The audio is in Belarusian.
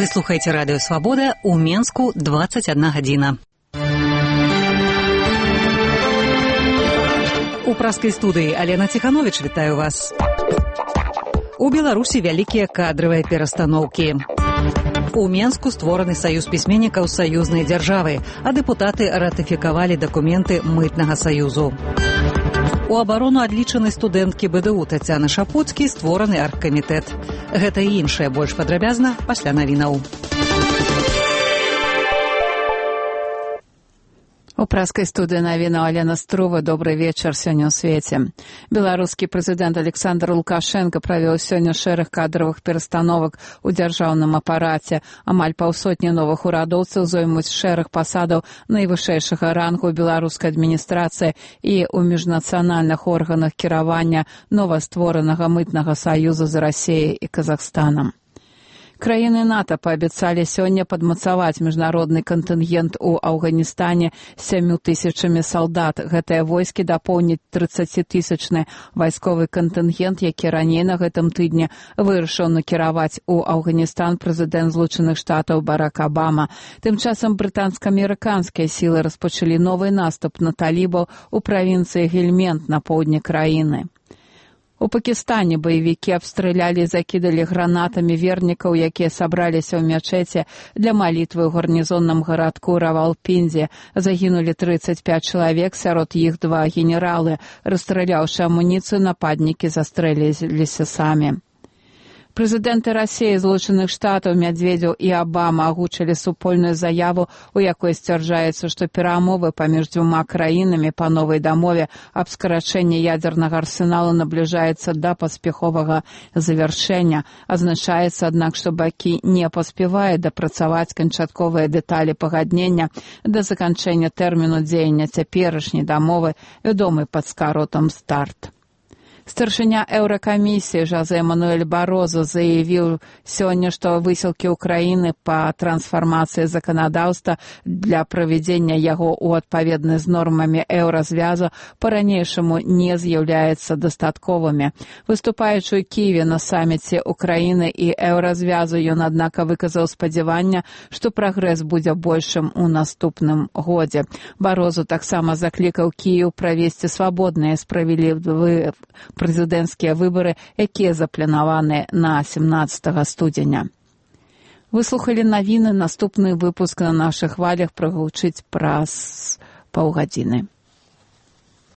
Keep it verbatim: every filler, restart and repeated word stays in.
Вы слухаеце радыё Свабода, у Менску дваццаць адна гадзіна. У праскай студыі Алена Ціхановіч, вітаю вас. У Беларусі вялікія кадравыя перастаноўкі. У Менску створаны саюз пісьменнікаў саюзнай дзяржавы, а дэпутаты ратыфікавалі дакументы мытнага саюзу. У абарону адлічанай студэнткі БДУ Тацяны Шапуцкі створаны аргкамітэт. Гэта і іншае больш падрабязна пасля навінаў. У праскай студыі навінаў Алена Струва. Добрый вечар сёння ў свеце. Беларускі прэзідэнт Александр Лукашенко правёў сёння шэраг кадравых перастановак у дзяржаўным апараце. Амаль паўсотні новых урадоўцаў зоймуць шэраг пасадаў найвышэйшага рангу беларускай адміністрацыі і ў міжнацыянальных органах кіравання новастворанага мытнага саюза з Расіяй і Казахстанам. Краіны НАТО паабяцалі сёння падмацаваць міжнародны кантынгент у Афганістане сямю тысячамі салдат. Гэтыя войскі дапоўняць трыццацітысячны вайсковы кантынгент, які раней на гэтым тыдні вырашыў накіраваць у Афганістан прэзідэнт Злучаных Штатаў Барак Абама. Тым часам брытанска-амерыканскія сілы распачалі новы наступ на талібаў у правінцыі Гельмент на поўдні краіны. У Пакістане баевікі абстралялі і закідалі гранатамі вернікаў, якія сабраліся ў мячэце для малітвы ў гарнізонным гарадку Равалпіндзі. Загінулі трыццаць пяць чалавек, сярод іх два генералы. Расстраляўшы амуніцыю, нападнікі застрэліліся самі. Прэзідэнты Расіі, Злучаных Штатаў, Мядзведзеў і Абама агучылі супольную заяву, у якой сцвярджаецца, што перамовы паміж дзвюма краінамі па новай дамове аб скарачэнні ядзернага арсеналу набліжаецца да паспяховага завяршэння. Азначаецца, аднак, што бакі не паспяваюць дапрацаваць канчатковыя дэталі пагаднення да заканчэння тэрміну дзеяння цяперашняй дамовы, вядомай пад скаротам «Старт». Старшыня Еўракамісіі Жозе Мануэль Бароза заявіў сёння, што высілкі Украіны па трансфармацыі заканадаўства для правядзення яго ў адпаведнасць з нормамі еўразвязу па-ранейшаму не з'яўляецца дастатковымі. Выступаючы ў Кіеве на саміце Украіны і еўразвязу, ён, аднак, выказаў спадзяванне, што прагрэс будзе большым у наступным годзе. Барозу таксама заклікаў Кіеў правесці свабодныя справядлівыя прэзідэнцкія выбары, якія запланаваны на семнаццатага студзеня. Выслухалі навіны, наступны выпуск на нашых хвалях прагучыць праз паўгадзіны.